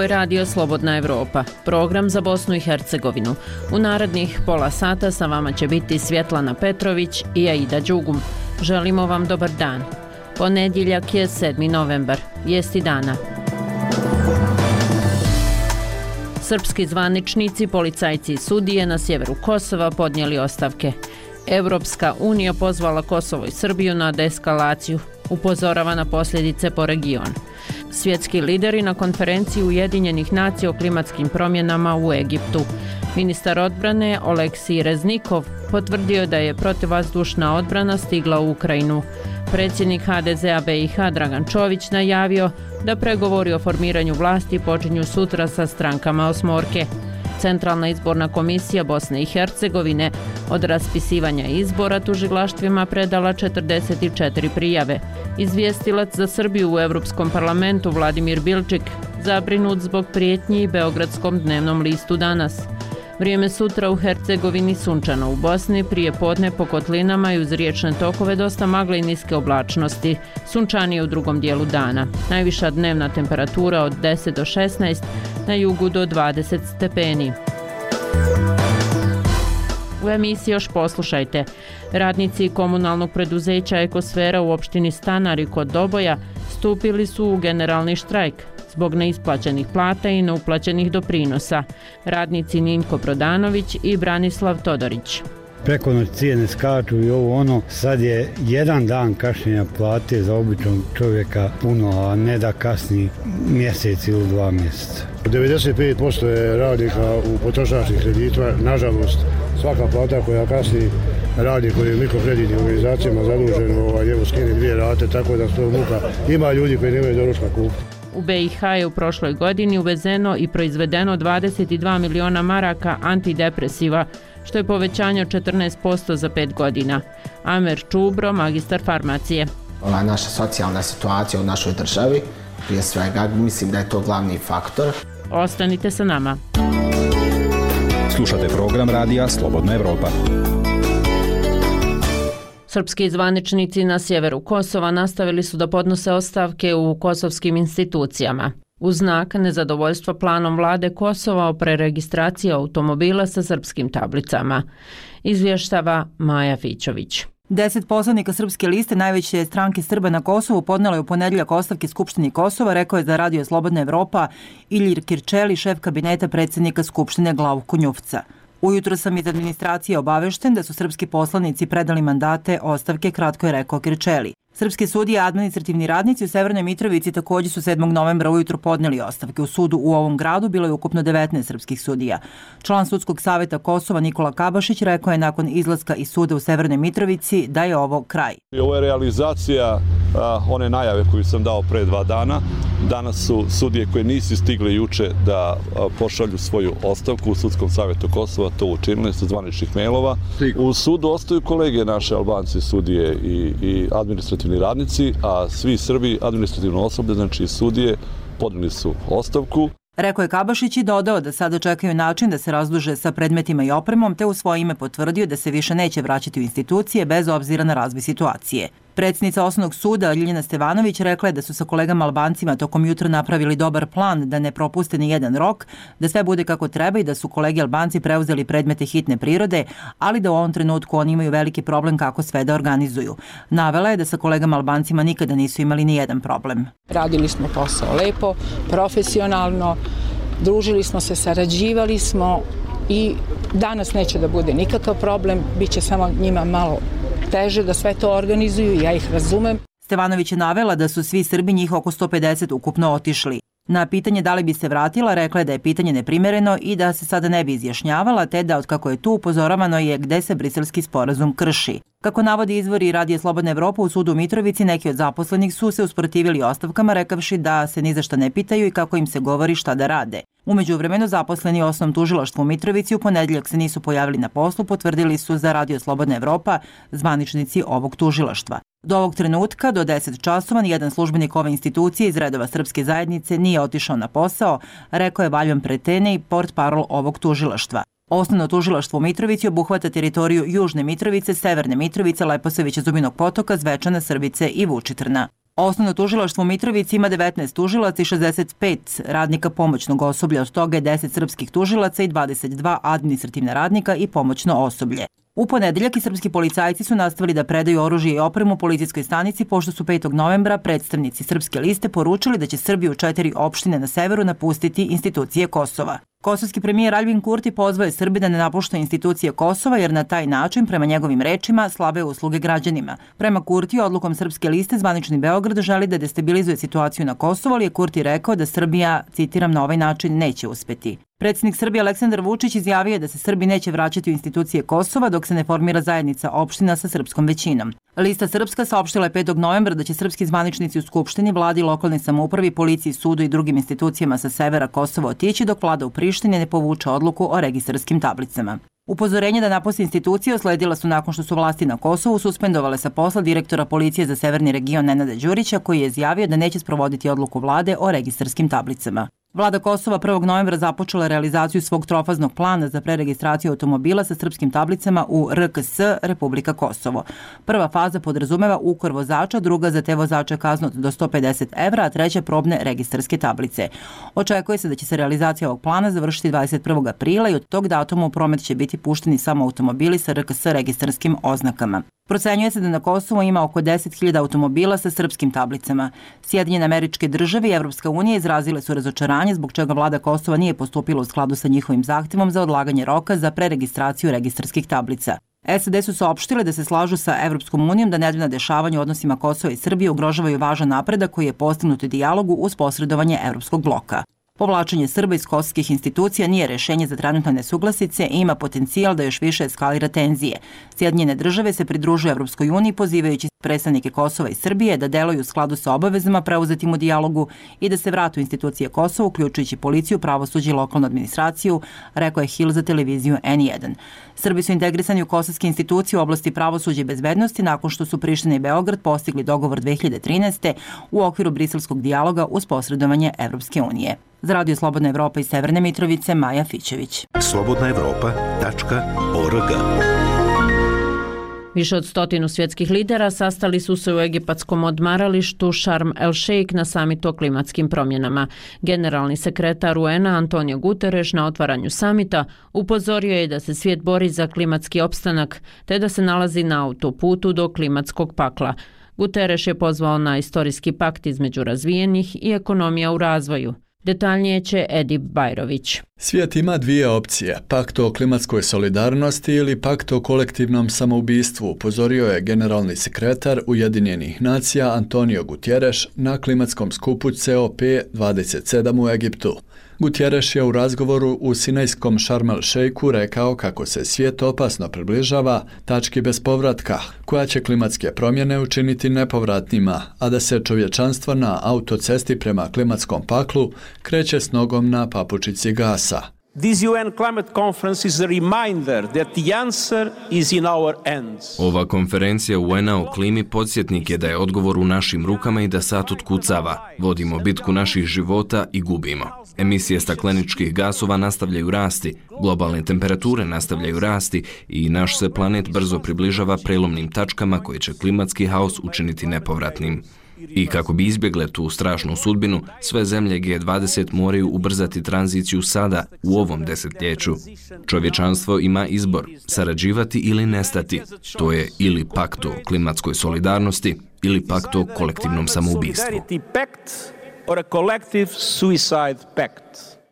Ovo je Radio Slobodna Evropa, program za Bosnu i Hercegovinu. U narednih pola sata sa vama će biti Svjetlana Petrović i Aida Đugum. Želimo vam dobar dan. Ponedjeljak je 7. novembar, vijesti dana. Srpski zvaničnici, policajci i sudije na sjeveru Kosova podnijeli ostavke. Evropska unija pozvala Kosovo i Srbiju na deeskalaciju, upozorava na posljedice po regionu. Svjetski lideri na konferenciji Ujedinjenih nacija o klimatskim promjenama u Egiptu. Ministar odbrane Oleksij Reznikov potvrdio da je protivvazdušna odbrana stigla u Ukrajinu. Predsjednik HDZ-a BiH Dragan Čović najavio da pregovori o formiranju vlasti počinju sutra sa strankama osmorke. Centralna izborna komisija Bosne i Hercegovine od raspisivanja izbora tužilaštvima predala 44 prijave. Izvjestilac za Srbiju u Europskom parlamentu Vladimir Bilčik zabrinut zbog prijetnji Beogradskom dnevnom listu Danas. Vrijeme sutra u Hercegovini sunčano, u Bosni prije podne po kotlinama i uz riječne tokove dosta magle i niske oblačnosti. Sunčanije u drugom dijelu dana. Najviša dnevna temperatura od 10 do 16, na jugu do 20 stepeni. U emisiji još poslušajte. Radnici komunalnog preduzeća Ekosfera u opštini Stanari kod Doboja stupili su u generalni štrajk zbog neisplaćenih plata i neuplaćenih doprinosa. Radnici Ninko Prodanović i Branislav Todorić. Preko noći cijene skaču i ovo ono, sad je jedan dan kašnjenja plate za običnog čovjeka puno, a ne da kasni mjesec ili 2 mjeseca. 95% je radnika u potrošačkih kreditima, nažalost svaka plata koja kasni radnik koji je u mikrokreditnim organizacijama zadužen, njemu skine 2 rate, tako da su to muka. Ima ljudi koji nemaju doručka kupiti. U BiH je u prošloj godini uvezeno i proizvedeno 22 miliona maraka antidepresiva, što je povećanje od 14% za 5 godina. Amer Čubro, magistar farmacije. Ova naša socijalna situacija u našoj državi, prije svega, mislim da je to glavni faktor. Ostanite sa nama. Slušate program radija Slobodna Evropa. Srpski zvaničnici na sjeveru Kosova nastavili su da podnose ostavke u kosovskim institucijama u znak nezadovoljstva planom vlade Kosova o preregistraciji automobila sa srpskim tablicama. Izvještava Maja Fićović. 10 poslanika Srpske liste, najveće stranke Srba na Kosovu, podnelo je u ponedjeljak ostavke Skupštini Kosova, rekao je za Radio Slobodna Evropa Ilir Kirčeli, šef kabineta predsjednika Skupštine Glavko Njufca. Ujutro sam iz administracije obavešten da su srpski poslanici predali mandate ostavke, kratko je rekao Kirčeli. Srpski sudije i administrativni radnici u Severnoj Mitrovici također su 7. novembra ujutro podnijeli ostavke. U sudu u ovom gradu bilo je ukupno 19 srpskih sudija. Član Sudskog savjeta Kosova Nikola Kabašić rekao je nakon izlaska iz suda u Severnoj Mitrovici da je ovo kraj. Ovo je realizacija one najave koju sam dao pre 2 dana. Danas su sudije koje nisu stigli juče da pošalju svoju ostavku u Sudskom savjetu Kosova to učinili sa zvaničnih mailova. U sudu ostaju kolege naše Albanci, sudije i administrativni radnici, a svi Srbi administrativno osoblje, znači sudije, podnijeli su ostavku. Rekao je Kabašić i dodao da sada čekaju način da se razduže sa predmetima i opremom, te u svoje ime potvrdio da se više neće vraćati u institucije bez obzira na razvoj situacije. Predsjednica Osnovnog suda Ljiljana Stevanović rekla je da su sa kolegama Albancima tokom jutra napravili dobar plan da ne propuste ni jedan rok, da sve bude kako treba i da su kolegi Albanci preuzeli predmete hitne prirode, ali da u ovom trenutku oni imaju veliki problem kako sve da organizuju. Navela je da sa kolegama Albancima nikada nisu imali ni jedan problem. Radili smo posao lepo, profesionalno, družili smo se, sarađivali smo i danas neće da bude nikakav problem, bit će samo njima malo teže da sve to organizuju, ja ih razumem. Stevanović je navela da su svi Srbi, njih oko 150, ukupno otišli. Na pitanje da li bi se vratila, rekla je da je pitanje neprimereno i da se sada ne bi izjašnjavala, te da otkako je tu upozoravano je gde se briselski sporazum krši. Kako navodi izvori Radija Slobodna Evropa, u sudu u Mitrovici neki od zaposlenih su se usprotivili ostavkama, rekavši da se ni za šta ne pitaju i kako im se govori šta da rade. U međuvremenu zaposleni u Osnovnom tužilaštvu u Mitrovici u ponedjeljak se nisu pojavili na poslu, potvrdili su za Radio Slobodna Evropa zvaničnici ovog tužilaštva. Do ovog trenutka, do 10 časova, nijedan službenik ove institucije iz redova srpske zajednice nije otišao na posao, rekao je Valjan Pretene, portparol ovog tužilaštva. Osnovno tužilaštvo u Mitrovici obuhvata teritoriju Južne Mitrovice, Severne Mitrovice, Leposavića, Zubinog Potoka, Zvečana, Srbice i Vučitrna. Osnovno tužilaštvo u Mitrovici ima 19 tužilaca i 65 radnika pomoćnog osoblja, od toga je 10 srpskih tužilaca i 22 administrativna radnika i pomoćno osoblje. U ponedeljak i srpski policajci su nastavili da predaju oružje i opremu policijskoj stanici, pošto su 5. novembra predstavnici Srpske liste poručili da će Srbiju u 4 opštine na severu napustiti institucije Kosova. Kosovski premijer Aljbin Kurti pozvao je Srbe da ne napuštaju institucije Kosova, jer na taj način, prema njegovim rečima, slabe usluge građanima. Prema Kurti, odlukom Srpske liste, zvanični Beograd želi da destabilizuje situaciju na Kosovu, ali je Kurti rekao da Srbija, citiram, na ovaj način neće uspeti. Predsjednik Srbije Aleksandar Vučić izjavio je da se Srbi neće vraćati u institucije Kosova dok se ne formira zajednica opština sa srpskom većinom. Lista Srpska saopštila je 5. novembra da će srpski zvaničnici u Skupštini, vladi, lokalnoj samoupravi, policiji, sudu i drugim institucijama sa severa Kosova otići dok vlada u Prištini ne povuče odluku o registarskim tablicama. Upozorenje da napusti institucije usledila su nakon što su vlasti na Kosovu suspendovale sa posla direktora policije za severni region Nenada Đurića, koji je izjavio da neće sprovoditi odluku vlade o registarskim tablicama. Vlada Kosova 1. novembra započela realizaciju svog trofaznog plana za preregistraciju automobila sa srpskim tablicama u RKS Republika Kosovo. Prva faza podrazumeva ukor vozača, druga za te vozače kaznu do 150 evra, a treća probne registarske tablice. Očekuje se da će se realizacija ovog plana završiti 21. aprila i od tog datuma u promet će biti pušteni samo automobili sa RKS registarskim oznakama. Procenjuje se da na Kosovu ima oko 10.000 automobila sa srpskim tablicama. Sjedinjene Američke Države i Evropska unija izrazile su razočaranje zbog čega vlada Kosova nije postupila u skladu sa njihovim zahtevom za odlaganje roka za preregistraciju registarskih tablica. SAD su saopštile da se slažu sa Evropskom unijom da nedavna dešavanja u odnosima Kosova i Srbije ugrožavaju važan napredak koji je postignut u dijalogu uz posredovanje Evropskog bloka. Povlačenje Srba iz kosovskih institucija nije rešenje za trenutne nesuglasice i ima potencijal da još više eskalira tenzije. Sjedinjene Države se pridružuju Evropskoj uniji pozivajući predstavnike Kosova i Srbije da deluju u skladu sa obavezama preuzetim u dijalogu i da se vrate u institucije Kosova, uključujući policiju, pravosuđe i lokalnu administraciju, rekao je Hill za televiziju N1. Srbi su integrisani u kosovske institucije u oblasti pravosuđa i bezbednosti nakon što su Priština i Beograd postigli dogovor 2013. u okviru briselskog dijaloga uz posredovanje Evropske unije. Za Radio Slobodna Evropa iz Severne Mitrovice, Maja Fićević. slobodnaevropa.org. Više od 100 svjetskih lidera sastali su se u egipatskom odmaralištu Sharm el Sheikh na samitu o klimatskim promjenama. Generalni sekretar UN-a Antonio Guterres na otvaranju samita upozorio je da se svijet bori za klimatski opstanak te da se nalazi na autoputu do klimatskog pakla. Guterres je pozvao na istorijski pakt između razvijenih i ekonomija u razvoju. Detaljnije će Edip Bajrović. Svijet ima dvije opcije, pakt o klimatskoj solidarnosti ili pakt o kolektivnom samoubistvu, upozorio je generalni sekretar Ujedinjenih nacija Antonio Guterres na klimatskom skupu COP27 u Egiptu. Guterres je u razgovoru u sinajskom Sharm el Sheikhu rekao kako se svijet opasno približava tački bez povratka, koja će klimatske promjene učiniti nepovratnima, a da se čovječanstvo na autocesti prema klimatskom paklu kreće s nogom na papučici gasa. This UN climate conference is a reminder that the answer is in our hands. Ova konferencija UN-a o klimi podsjetnik je da je odgovor u našim rukama i da sat otkucava. Vodimo bitku naših života i gubimo. Emisije stakleničkih gasova nastavljaju rasti, globalne temperature nastavljaju rasti i naš se planet brzo približava prelomnim tačkama koje će klimatski haos učiniti nepovratnim. I kako bi izbjegle tu strašnu sudbinu, sve zemlje G20 moraju ubrzati tranziciju sada, u ovom desetljeću. Čovječanstvo ima izbor, sarađivati ili nestati. To je ili pakt o klimatskoj solidarnosti ili pakt o kolektivnom samoubistvu.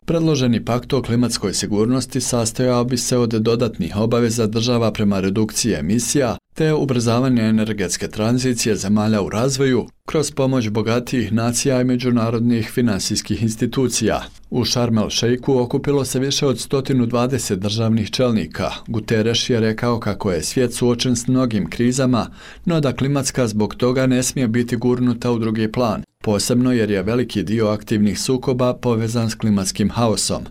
Predloženi pakt o klimatskoj sigurnosti sastojao bi se od dodatnih obaveza država prema redukciji emisija te ubrzavanje energetske tranzicije zemalja u razvoju kroz pomoć bogatijih nacija i međunarodnih finansijskih institucija. U Sharm el Sheikhu okupilo se više od 120 državnih čelnika. Guterres je rekao kako je svijet suočen s mnogim krizama, no da klimatska zbog toga ne smije biti gurnuta u drugi plan, posebno jer je veliki dio aktivnih sukoba povezan s klimatskim haosom.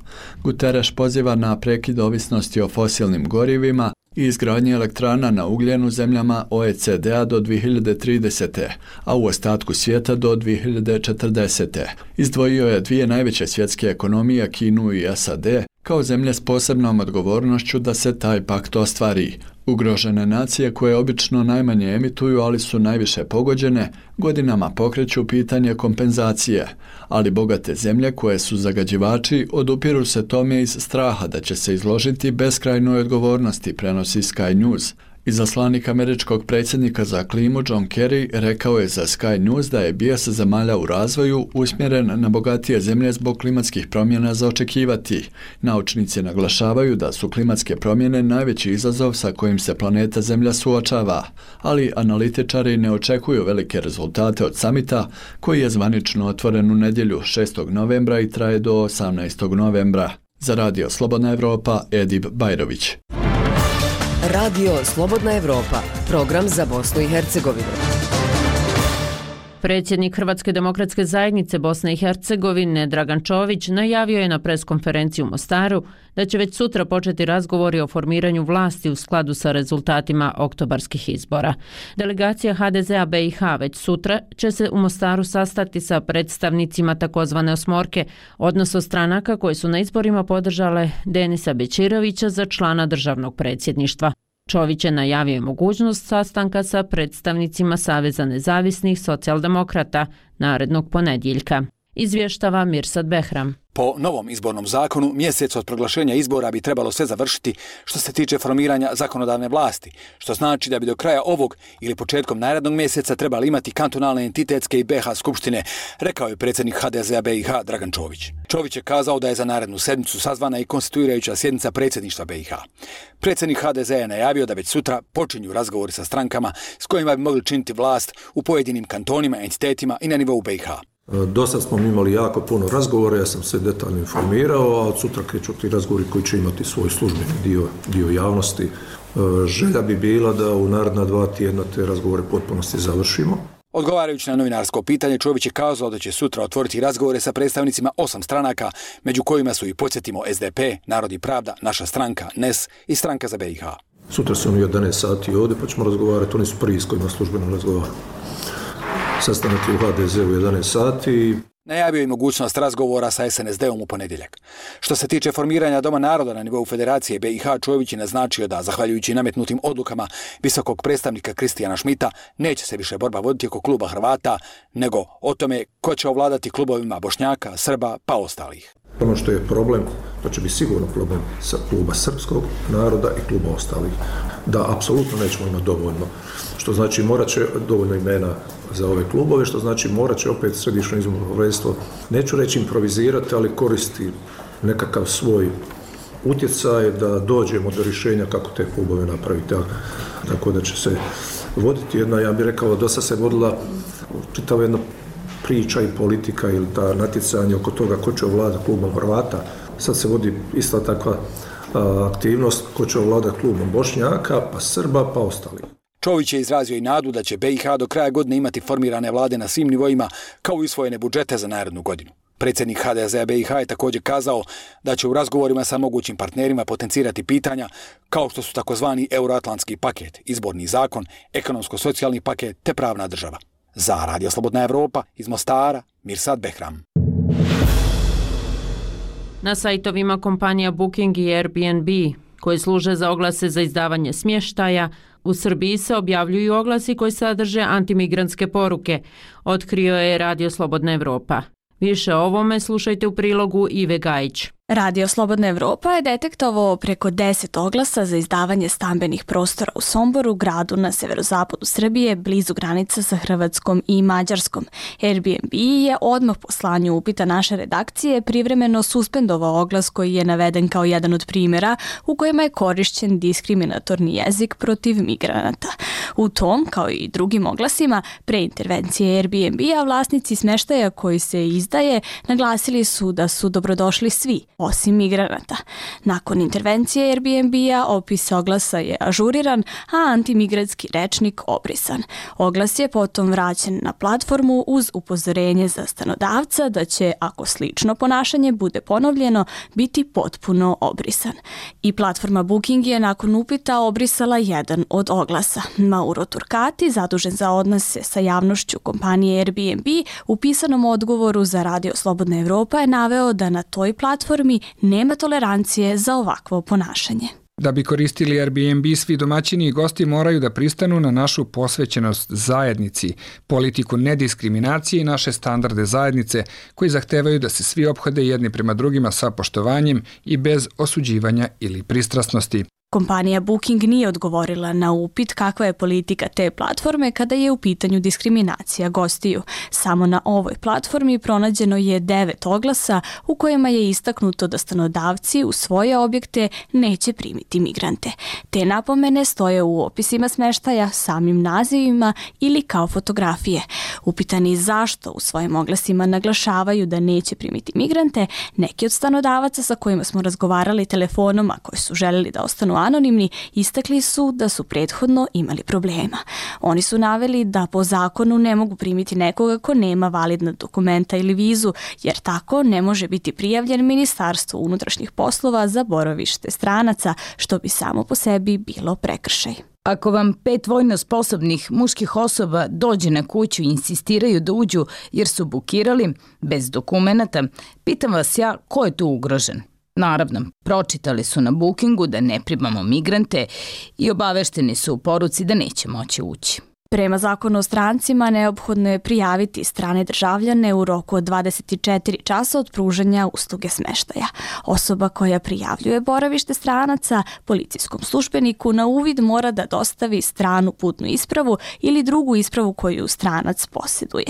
Guterres poziva na prekid ovisnosti o fosilnim gorivima i izgradnje elektrana na ugljen u zemljama OECD-a do 2030. a u ostatku svijeta do 2040. Izdvojio je dvije najveće svjetske ekonomije, Kinu i SAD, kao zemlje s posebnom odgovornošću da se taj pakt ostvari. Ugrožene nacije koje obično najmanje emituju, ali su najviše pogođene, godinama pokreću pitanje kompenzacije, ali bogate zemlje koje su zagađivači odupiru se tome iz straha da će se izložiti beskrajnoj odgovornosti, prenosi Sky News. Izaslanik američkog predsjednika za klimu John Kerry rekao je za Sky News da je bijes zemalja u razvoju usmjeren na bogatije zemlje zbog klimatskih promjena za očekivati. Naučnici naglašavaju da su klimatske promjene najveći izazov sa kojim se planeta Zemlja suočava, ali analitičari ne očekuju velike rezultate od samita koji je zvanično otvoren u nedjelju 6. novembra i traje do 18. novembra. Za Radio Slobodna Evropa, Edib Bajrović. Radio Slobodna Evropa, program za Bosnu i Hercegovinu. Predsjednik Hrvatske demokratske zajednice Bosne i Hercegovine Dragan Čović najavio je na preskonferenciji u Mostaru da će već sutra početi razgovori o formiranju vlasti u skladu sa rezultatima oktobarskih izbora. Delegacija HDZ-a BiH već sutra će se u Mostaru sastati sa predstavnicima takozvane osmorke, odnosno stranaka koje su na izborima podržale Denisa Bećirovića za člana državnog predsjedništva. Čović je najavio mogućnost sastanka sa predstavnicima Saveza nezavisnih socijaldemokrata narednog ponedjeljka. Izvještava Mirsad Behram. Po novom izbornom zakonu, mjesec od proglašenja izbora bi trebalo sve završiti što se tiče formiranja zakonodavne vlasti, što znači da bi do kraja ovog ili početkom narednog mjeseca trebali imati kantonalne entitetske i BiH skupštine, rekao je predsjednik HDZ-a BiH Dragan Čović. Čović je kazao da je za narednu sedmicu sazvana i konstituirajuća sjednica predsjedništva BiH. Predsjednik HDZ-a je najavio da već sutra počinju razgovori sa strankama s kojima bi mogli činiti vlast u pojedinim kantonima, entitetima i na nivou BiH. Do sad smo imali jako puno razgovora, ja sam se detaljno informirao, a od sutra kreću ti razgovori koji će imati svoj službeni dio javnosti. Želja bi bila da u naredna 2 tjedna te razgovore potpunosti završimo. Odgovarajući na novinarsko pitanje, Čović je kazao da će sutra otvoriti razgovore sa predstavnicima 8 stranaka, među kojima su i, podsjetimo, SDP, Narod i pravda, Naša stranka, NES i Stranka za BiH. Sutra su oni 11 sati ovdje, pa ćemo razgovarati, oni su prvi s kojima službeno razgovaramo. Sastanak je u HDZ-u 11 sati. Najavio je mogućnost razgovora sa SNSD-om u ponedjeljak. Što se tiče formiranja Doma naroda na nivou Federacije BiH, Čović je naznačio da, zahvaljujući nametnutim odlukama visokog predstavnika Kristijana Šmita, neće se više borba voditi oko kluba Hrvata, nego o tome ko će ovladati klubovima Bošnjaka, Srba pa ostalih. Ono što je problem, to će biti sigurno problem sa kluba srpskog naroda i kluba ostalih. Da, apsolutno nećemo imati dovoljno. Što znači morat će dovoljno imena za ove klubove, što znači morat će opet središnje izborno povjerenstvo, neću reći improvizirati, ali koristi nekakav svoj utjecaj da dođemo do rješenja kako te klubove napraviti. Tako da će se voditi jedna, ja bih rekao, dosta se vodila čitava jedna priča i politika ili ta natjecanje oko toga ko će ovladati klubom Hrvata. Sad se vodi ista takva aktivnost ko će ovladati klubom Bošnjaka, pa Srba, pa ostali. Čović je izrazio i nadu da će BiH do kraja godine imati formirane vlade na svim nivoima, kao i usvojene budžete za narednu godinu. Predsjednik HDZ-a BiH je također kazao da će u razgovorima sa mogućim partnerima potencirati pitanja kao što su takozvani euroatlantski paket, izborni zakon, ekonomsko-socijalni paket te pravna država. Za Radio Slobodna Evropa iz Mostara, Mirsad Behram. Na sajtovima kompanija Booking i Airbnb, koje služe za oglase za izdavanje smještaja, u Srbiji se objavljuju oglasi koji sadrže antimigrantske poruke, otkrio je Radio Slobodna Evropa. Više o ovome slušajte u prilogu Ive Gajić. Radio Slobodna Evropa je detektovao preko 10 oglasa za izdavanje stambenih prostora u Somboru, gradu na severozapadu Srbije, blizu granica sa Hrvatskom i Mađarskom. Airbnb je odmah po slanju upita naše redakcije privremeno suspendovao oglas koji je naveden kao jedan od primjera u kojima je korišćen diskriminatorni jezik protiv migranata. U tom, kao i drugim oglasima, pre intervencije Airbnb-a vlasnici smještaja koji se izdaje naglasili su da su dobrodošli svi, osim migranata. Nakon intervencije Airbnb-a opis oglasa je ažuriran, a antimigratski rečnik obrisan. Oglas je potom vraćen na platformu uz upozorenje za stanodavca da će, ako slično ponašanje bude ponovljeno, biti potpuno obrisan. I platforma Booking je nakon upita obrisala jedan od oglasa. Mauro Turcati, zadužen za odnose sa javnošću kompanije Airbnb, u pisanom odgovoru za Radio Slobodna Evropa je naveo da na toj platformi nema tolerancije za ovakvo ponašanje. Da bi koristili Airbnb, svi domaćini i gosti moraju da pristanu na našu posvećenost zajednici, politiku nediskriminacije i naše standarde zajednice koji zahtevaju da se svi ophode jedni prema drugima sa poštovanjem i bez osuđivanja ili pristrasnosti. Kompanija Booking nije odgovorila na upit kakva je politika te platforme kada je u pitanju diskriminacija gostiju. Samo na ovoj platformi pronađeno je 9 oglasa u kojima je istaknuto da stanodavci u svoje objekte neće primiti migrante. Te napomene stoje u opisima smeštaja, samim nazivima ili kao fotografije. Upitani zašto u svojim oglasima naglašavaju da neće primiti migrante, neki od stanodavaca sa kojima smo razgovarali telefonom, a koji su željeli da ostanu anonimni, istakli su da su prethodno imali problema. Oni su naveli da po zakonu ne mogu primiti nekoga ko nema validna dokumenta ili vizu, jer tako ne može biti prijavljen Ministarstvu unutrašnjih poslova za boravište stranaca, što bi samo po sebi bilo prekršaj. Ako vam 5 vojno sposobnih muških osoba dođe na kuću i insistiraju da uđu jer su bukirali bez dokumenata, pitam vas ja ko je tu ugrožen? Naravno, pročitali su na Bookingu da ne primamo migrante i obavešteni su u poruci da neće moći ući. Prema zakonu o strancima neophodno je prijaviti strane državljane u roku od 24 časa od pružanja usluge smeštaja. Osoba koja prijavljuje boravište stranaca policijskom službeniku na uvid mora da dostavi stranu putnu ispravu ili drugu ispravu koju stranac posjeduje.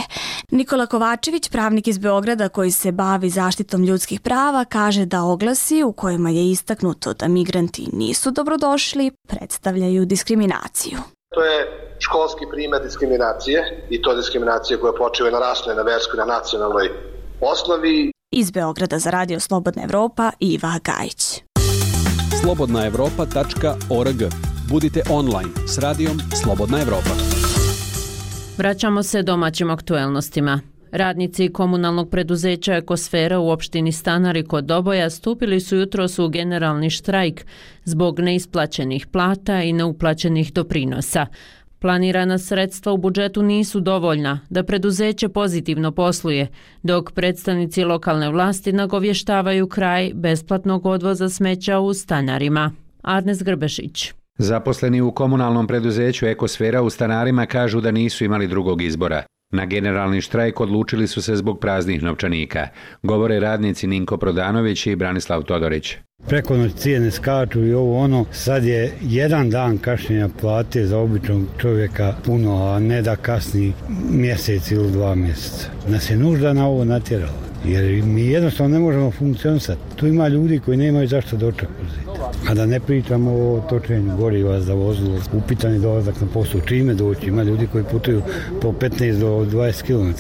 Nikola Kovačević, pravnik iz Beograda koji se bavi zaštitom ljudskih prava, kaže da oglasi u kojima je istaknuto da migranti nisu dobrodošli predstavljaju diskriminaciju. To je školski primjer diskriminacije i to diskriminacije koja počiva na rasnoj, na verskoj, na nacionalnoj osnovi. Iz Beograda za Radio Slobodna Evropa, Iva Gajić. slobodnaevropa.org. Budite online s radijom Slobodna Evropa. Vraćamo se domaćim aktuelnostima. Radnici komunalnog preduzeća Ekosfera u opštini Stanari kod Doboja stupili su jutros u generalni štrajk zbog neisplaćenih plata i neuplaćenih doprinosa. Planirana sredstva u budžetu nisu dovoljna da preduzeće pozitivno posluje, dok predstavnici lokalne vlasti nagovještavaju kraj besplatnog odvoza smeća u Stanarima. Arnes Grbešić. Zaposleni u komunalnom preduzeću Ekosfera u Stanarima kažu da nisu imali drugog izbora. Na generalni štrajk odlučili su se zbog praznih novčanika, govore radnici Ninko Prodanović i Branislav Todorić. Preko noć cijene skaču i ovo ono, sad je jedan dan kašnjenja plate za običnog čovjeka puno, a ne da kasni mjesec ili 2 mjeseca. Nas je nužda na ovo natjerala, jer mi jednostavno ne možemo funkcionisati. Tu ima ljudi koji nemaju zašto doček uzeti. A da ne pričamo o točenju goriva za vozilo, upitani dolazak na posao, čime doći, ima ljudi koji putuju po 15 do 20 km.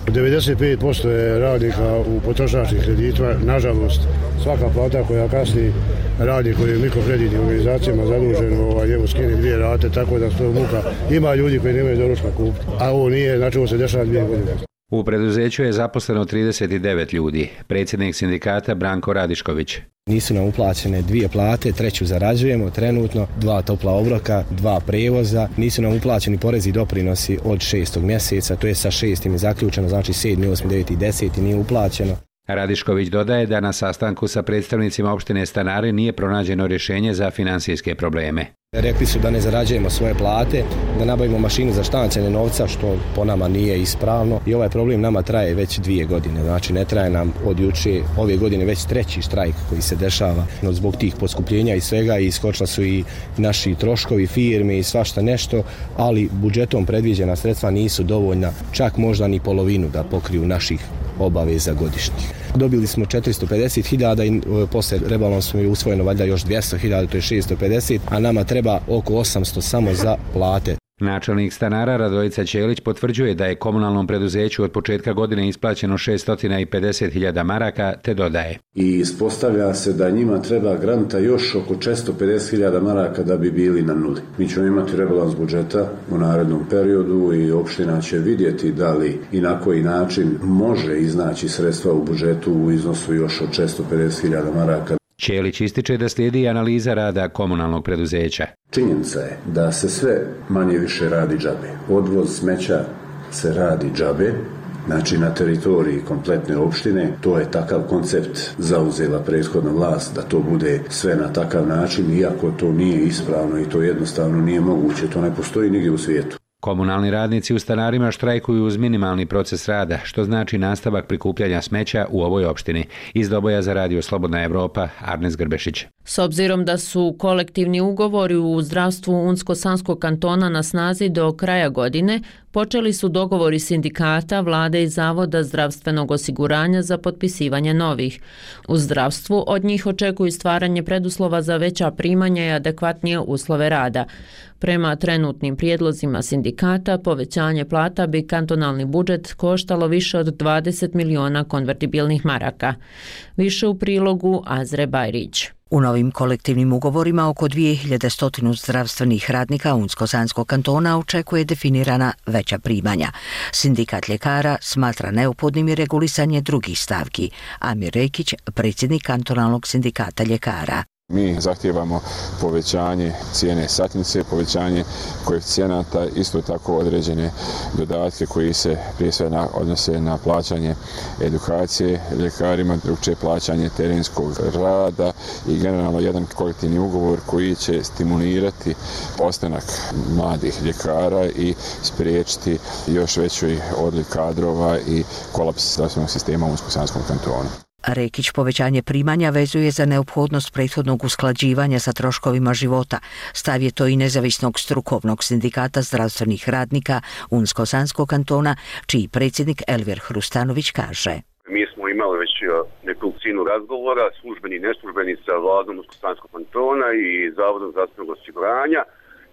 95% je radnika u potrošačkih kreditima, nažalost, svaka plata koja kasni radnik koji je u mikrokreditnim organizacijama zadužen, njemu skine 2 rate, tako da to muka. Ima ljudi koji nemaju doručka kupiti, a ovo nije, znači ovo se dešava 2 godine. U preduzeću je zaposleno 39 ljudi, predsjednik sindikata Branko Radišković. Nisu nam uplaćene 2 plate, 3 zarađujemo trenutno, 2 topla obroka, 2 prevoza, nisu nam uplaćeni porezi i doprinosi od 6. mjeseca, to je sa 6. je zaključeno, znači 7., 8., 9. i 10. nije uplaćeno. Radišković dodaje da na sastanku sa predstavnicima opštine Stanari nije pronađeno rješenje za financijske probleme. Rekli su da ne zarađujemo svoje plate, da nabavimo mašinu za štancanje novca, što po nama nije ispravno. I ovaj problem nama traje već 2 godine, znači ne traje nam od juče, ove godine već 3. štrajk koji se dešava. Zbog tih poskupljenja i svega iskočila su i naši troškovi firme i svašta nešto, ali budžetom predviđena sredstva nisu dovoljna, čak možda ni polovinu da pokriju naših obaveza godišnjih. Dobili smo 450.000 i posle rebalansom je usvojeno valjda još 200.000, to je 650, a nama treba oko 800 samo za plate. Načelnik Stanara Radojica Ćelić potvrđuje da je komunalnom preduzeću od početka godine isplaćeno 650.000 maraka, te dodaje. I ispostavlja se da njima treba granta još oko 450.000 maraka da bi bili na nuli. Mi ćemo imati rebalans budžeta u narednom periodu i opština će vidjeti da li i na koji način može iznaći sredstva u budžetu u iznosu još od 650.000 maraka. Ćelić ističe da slijedi analiza rada komunalnog preduzeća. Činjenica je da se sve manje više radi džabe. Odvoz smeća se radi džabe znači na teritoriji kompletne opštine. To je takav koncept zauzela prethodna vlast, da to bude sve na takav način, iako to nije ispravno i to jednostavno nije moguće, to ne postoji nigdje u svijetu. Komunalni radnici u stanarima štrajkuju uz minimalni proces rada, što znači nastavak prikupljanja smeća u ovoj opštini. Iz Doboja za Radio Slobodna Evropa, Arnes Grbešić. S obzirom da su kolektivni ugovori u zdravstvu Unsko-Sanskog kantona na snazi do kraja godine, počeli su dogovori sindikata, vlade i Zavoda zdravstvenog osiguranja za potpisivanje novih. U zdravstvu od njih očekuju stvaranje preduslova za veća primanja i adekvatnije uslove rada. Prema trenutnim prijedlozima sindikata, povećanje plata bi kantonalni budžet koštalo više od 20 miliona konvertibilnih maraka. Više u prilogu Azre Bajrić. U novim kolektivnim ugovorima oko 2100 zdravstvenih radnika Unsko-Sanskog kantona očekuje definirana veća primanja. Sindikat ljekara smatra neophodnim i regulisanje drugih stavki. Amir Rekić, predsjednik kantonalnog sindikata ljekara. Mi zahtijevamo povećanje cijene satnice, povećanje koeficijenata, isto tako određene dodatke koji se prije svega odnose na plaćanje edukacije ljekarima, drugčije plaćanje terenskog rada i generalno jedan kolektivni ugovor koji će stimulirati ostanak mladih ljekara i spriječiti još veći odliv kadrova i kolaps zdravstvenog sistema u Unsko-Sanskom kantonu. Rekić povećanje primanja vezuje za neophodnost prethodnog usklađivanja sa troškovima života. Stav je to i nezavisnog strukovnog sindikata zdravstvenih radnika Unsko-Sanskog kantona, čiji predsjednik Elvir Hrustanović kaže. Mi smo imali već nekolicinu razgovora, službeni i neslužbeni, sa vladom Unsko-Sanskog kantona i Zavodom zdravstvenog osiguranja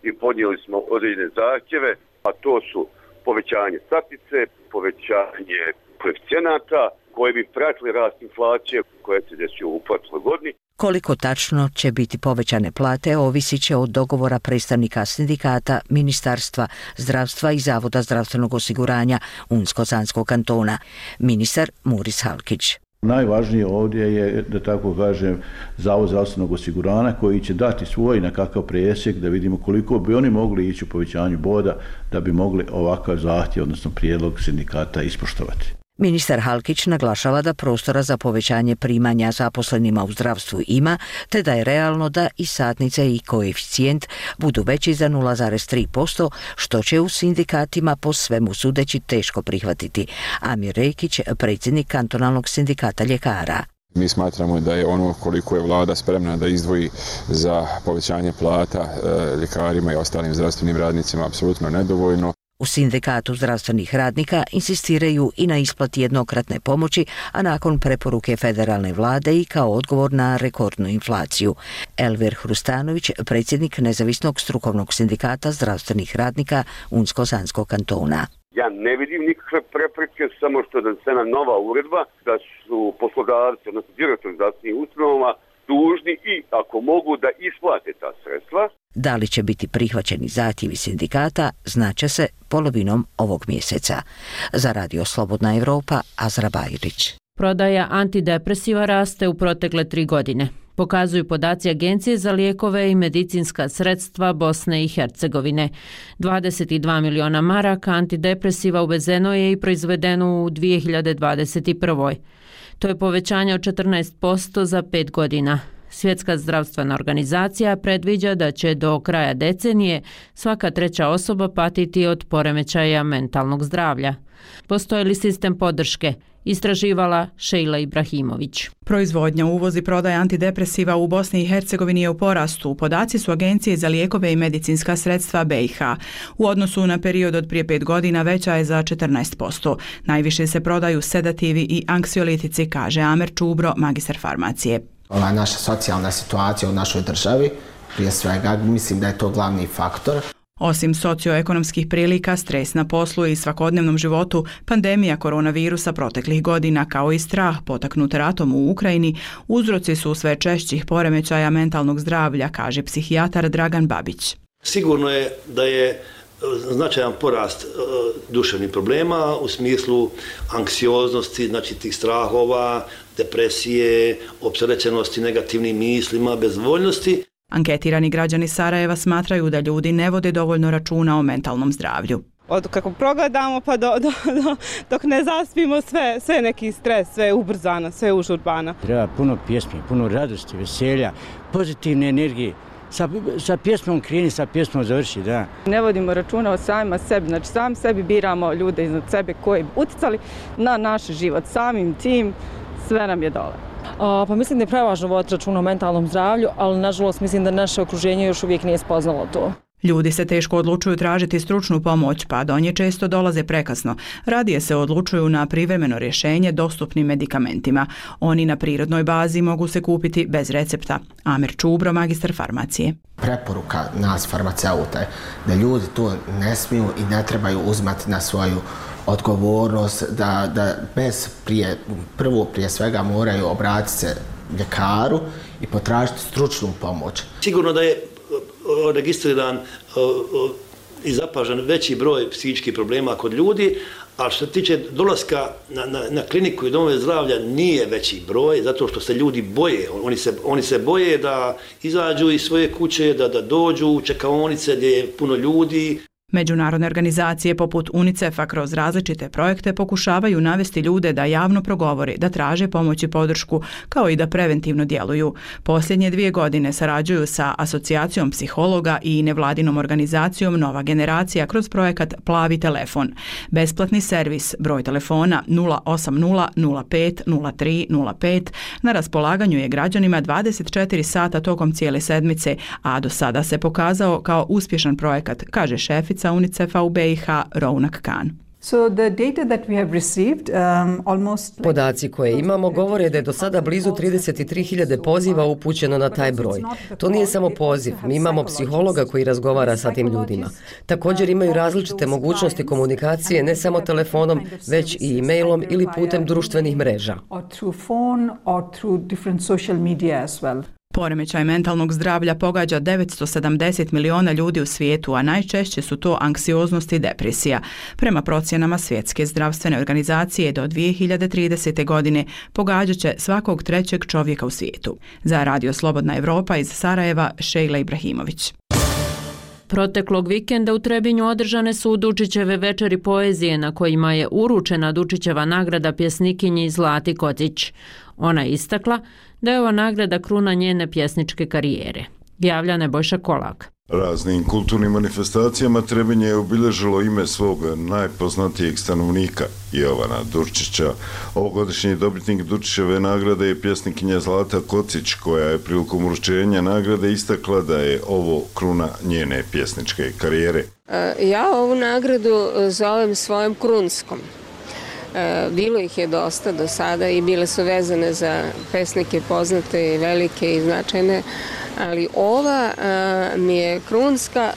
i podnijeli smo određene zahtjeve, a to su povećanje satnice, povećanje koeficijenata, koji bi pratili rast inflacije koja se desio u prošloj godini. Koliko tačno će biti povećane plate ovisit će od dogovora predstavnika sindikata, Ministarstva zdravstva i Zavoda zdravstvenog osiguranja Unsko-Sanskog kantona. Ministar Muris Halkić. Najvažnije ovdje je, da tako kažem, Zavod zdravstvenog osiguranja koji će dati svoj nekakav presjek da vidimo koliko bi oni mogli ići u povećanju boda da bi mogli ovakav zahtjev, odnosno prijedlog sindikata ispoštovati. Ministar Halkić naglašava da prostora za povećanje primanja zaposlenima u zdravstvu ima, te da je realno da i satnice i koeficijent budu veći za 0,3%, što će u sindikatima po svemu sudeći teško prihvatiti. Amir Rekić, predsjednik kantonalnog sindikata ljekara. Mi smatramo da je ono koliko je vlada spremna da izdvoji za povećanje plata ljekarima i ostalim zdravstvenim radnicima apsolutno nedovoljno. U sindikatu zdravstvenih radnika insistiraju i na isplati jednokratne pomoći, a nakon preporuke federalne vlade i kao odgovor na rekordnu inflaciju. Elvir Hrustanović, predsjednik nezavisnog strukovnog sindikata zdravstvenih radnika Unsko-Sanskog kantona. Ja ne vidim nikakve prepreke, samo što je donesena nova uredba da su poslodavci, odnosno direktori zdravstvenih ustanova, dužni i, ako mogu, da isplate ta sredstva. Da li će biti prihvaćeni zahtjevi sindikata, znaće se polovinom ovog mjeseca. Za Radio Slobodna Evropa, Azra Bajrić. Prodaja antidepresiva raste u protekle 3 godine. Pokazuju podaci Agencije za lijekove i medicinska sredstva Bosne i Hercegovine. 22 miliona maraka antidepresiva uvezeno je i proizvedeno u 2021. To je povećanje od 14% za 5 godina. Svjetska zdravstvena organizacija predviđa da će do kraja decenije svaka 3. osoba patiti od poremećaja mentalnog zdravlja. Postoji li sistem podrške? Istraživala Šejla Ibrahimović. Proizvodnja, uvoz i prodaja antidepresiva u Bosni i Hercegovini je u porastu. Podaci su Agencije za lijekove i medicinska sredstva BiH. U odnosu na period od prije 5 godina veća je za 14%. Najviše se prodaju sedativi i anksiolitici, kaže Amer Čubro, magistar farmacije. Ova naša socijalna situacija u našoj državi, prije svega, mislim da je to glavni faktor. Osim socioekonomskih prilika, stres na poslu i svakodnevnom životu, pandemija koronavirusa proteklih godina kao i strah potaknut ratom u Ukrajini uzroci su sve češćih poremećaja mentalnog zdravlja, kaže psihijatar Dragan Babić. Sigurno je da je značajan porast duševnih problema u smislu anksioznosti, znači tih strahova, depresije, opterećenosti negativnim mislima, bezvoljnosti. Anketirani građani Sarajeva smatraju da ljudi ne vode dovoljno računa o mentalnom zdravlju. Od kako progledamo pa dok ne zaspimo, sve neki stres, sve je ubrzano, sve je užurbano. Treba puno pjesmi, puno radosti, veselja, pozitivne energije. Sa pjesmom kreni, sa pjesmom završi, da. Ne vodimo računa o samima sebi, znači sam sebi biramo ljude iznad sebe koji bi uticali na naš život. Samim tim sve nam je dole. Pa mislim da je prevažno voditi računa o mentalnom zdravlju, ali nažalost mislim da naše okruženje još uvijek nije spoznalo to. Ljudi se teško odlučuju tražiti stručnu pomoć, pa do nje često dolaze prekasno. Radije se odlučuju na privremeno rješenje dostupnim medikamentima. Oni na prirodnoj bazi mogu se kupiti bez recepta. Amir Čubro, magistar farmacije. Preporuka nas farmaceuta je da ljudi to ne smiju i ne trebaju uzmati na svoju odgovornost, da prije svega moraju obratiti se ljekaru i potražiti stručnu pomoć. Sigurno da je registriran i zapažan veći broj psihičkih problema kod ljudi, a što se tiče dolaska na kliniku i domove zdravlja nije veći broj, zato što se ljudi boje. Oni se boje da izađu iz svoje kuće, da dođu u čekaonice gdje je puno ljudi. Međunarodne organizacije poput UNICEF-a kroz različite projekte pokušavaju navesti ljude da javno progovore, da traže pomoć i podršku, kao i da preventivno djeluju. Posljednje 2 godine sarađuju sa Asocijacijom psihologa i nevladinom organizacijom Nova generacija kroz projekat Plavi telefon. Besplatni servis, broj telefona 080 05 03 05 na raspolaganju je građanima 24 sata tokom cijele sedmice, a do sada se pokazao kao uspješan projekat, kaže šefica UNICEF-a u BiH Rounak Khan. Podaci koje imamo govore da je do sada blizu 33.000 poziva upućeno na taj broj. To nije samo poziv, mi imamo psihologa koji razgovara sa tim ljudima. Također imaju različite mogućnosti komunikacije ne samo telefonom, već i e-mailom ili putem društvenih mreža. Poremećaj mentalnog zdravlja pogađa 970 miliona ljudi u svijetu, a najčešće su to anksioznost i depresija. Prema procjenama Svjetske zdravstvene organizacije do 2030. godine pogađat će svakog 3. čovjeka u svijetu. Za Radio Slobodna Evropa iz Sarajeva, Šejla Ibrahimović. Proteklog vikenda u Trebinju održane su Dučićeve večeri poezije na kojima je uručena Dučićeva nagrada pjesnikinji Zlati Kocić. Ona je istakla da je ova nagrada kruna njene pjesničke karijere. Javlja Nebojša Kolak. Raznim kulturnim manifestacijama Trebinje je obilježilo ime svog najpoznatijeg stanovnika, Jovana Dučića. Ovogodišnji dobitnik Dučićeve nagrade je pjesnikinja Zlata Kocić, koja je prilikom uručenja nagrade istakla da je ovo kruna njene pjesničke karijere. Ja ovu nagradu zovem svojom krunskom. Bilo ih je dosta do sada i bile su vezane za pesnike poznate i velike i značajne, ali ova mi je krunska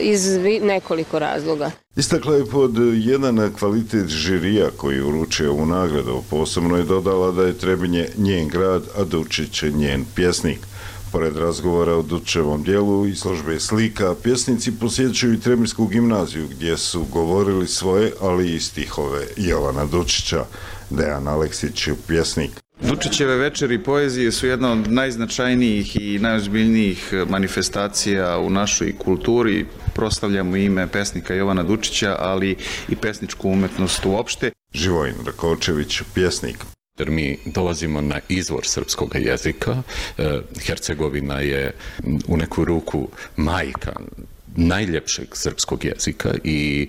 iz nekoliko razloga. Istakla je pod jedan kvalitet žirija koji uručuje ovu nagradu. Posebno je dodala da je Trebinje njen grad, a Dučić njen pjesnik. Pored razgovora o Dučićevom dijelu i izložbe slika, pjesnici posjećuju i Trebinsku gimnaziju gdje su govorili svoje, ali i stihove Jovana Dučića. Dejan Aleksić, pjesnik. Dučićeve večeri poezije su jedna od najznačajnijih i najozbiljnijih manifestacija u našoj kulturi. Proslavljamo ime pesnika Jovana Dučića, ali i pesničku umetnost uopšte. Živojin Rakočević, pjesnik. Jer mi dolazimo na izvor srpskog jezika. Hercegovina je u neku ruku majka najljepšeg srpskog jezika i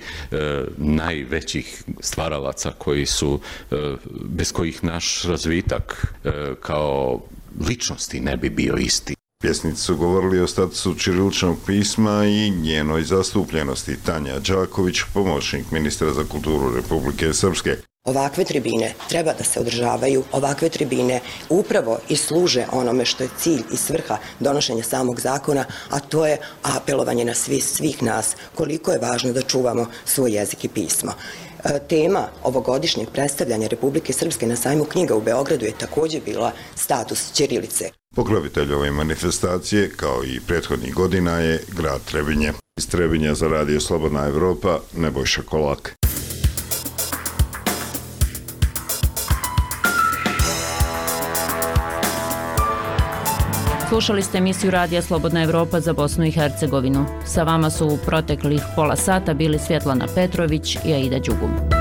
najvećih stvaralaca koji su, bez kojih naš razvitak kao ličnosti ne bi bio isti. Pjesnici su govorili o statusu ćiriličnog pisma i njenoj zastupljenosti. Tanja Đaković, pomoćnik ministra za kulturu Republike Srpske. Ovakve tribine treba da se održavaju, ovakve tribine upravo i služe onome što je cilj i svrha donošenja samog zakona, a to je apelovanje na svih nas koliko je važno da čuvamo svoj jezik i pismo. Tema ovogodišnjeg predstavljanja Republike Srpske na sajmu knjiga u Beogradu je također bila status ćirilice. Pokrovitelj ove manifestacije, kao i prethodnih godina, je grad Trebinje. Iz Trebinja za Radio Slobodna Evropa, Nebojša Kolak. Slušali ste emisiju Radija Slobodna Evropa za Bosnu i Hercegovinu. Sa vama su u proteklih pola sata bili Svjetlana Petrović i Aida Đugum.